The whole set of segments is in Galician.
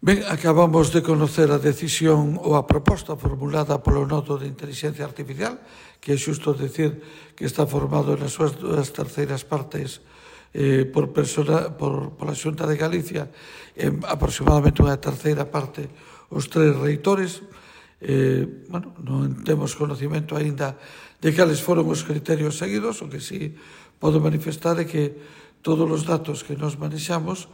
Ben, acabamos de conocer a decisión ou a proposta formulada polo Nodo de Inteligencia Artificial, que é xusto decir que está formado nas súas duas terceiras partes pola Xunta de Galicia, aproximadamente unha terceira parte os tres reitores. Non temos conocimento aínda de cales foron os criterios seguidos, o que sí podo manifestar é que todos os datos que nos manexamos,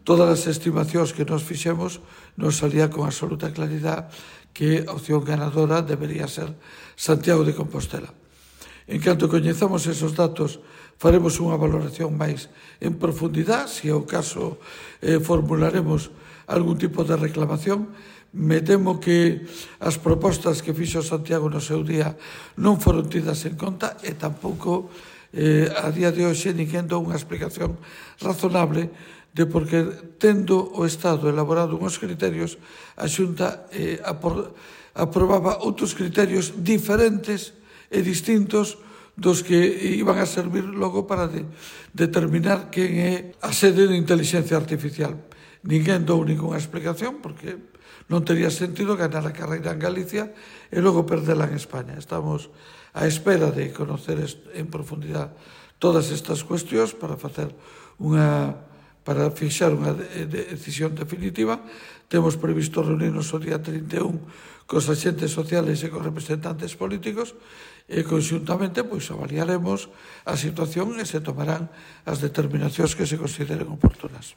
todas as estimacións que nos fixemos, nos salía con absoluta claridade que a opción ganadora debería ser Santiago de Compostela. En canto coñezamos esos datos, faremos unha valoración máis en profundidade. Se é o caso, formularemos algún tipo de reclamación. Me temo que as propostas que fixo Santiago no seu día non foron tidas en conta e tampouco a día de hoxe ninguén dou unha explicación razonable de por que, tendo o Estado elaborado unhos criterios, a Xunta aprobaba outros criterios diferentes e distintos dos que iban a servir logo para determinar quen é a sede de inteligencia artificial. Ninguén dou ninguna explicación, porque non tería sentido ganar a carreira en Galicia e logo perdela en España. Estamos á espera de conocer en profundidade todas estas cuestións para fixar unha decisión definitiva. Temos previsto reunirnos o día 31 cos agentes sociales e cos representantes políticos e conxuntamente avaliaremos a situación e se tomarán as determinacións que se consideren oportunas.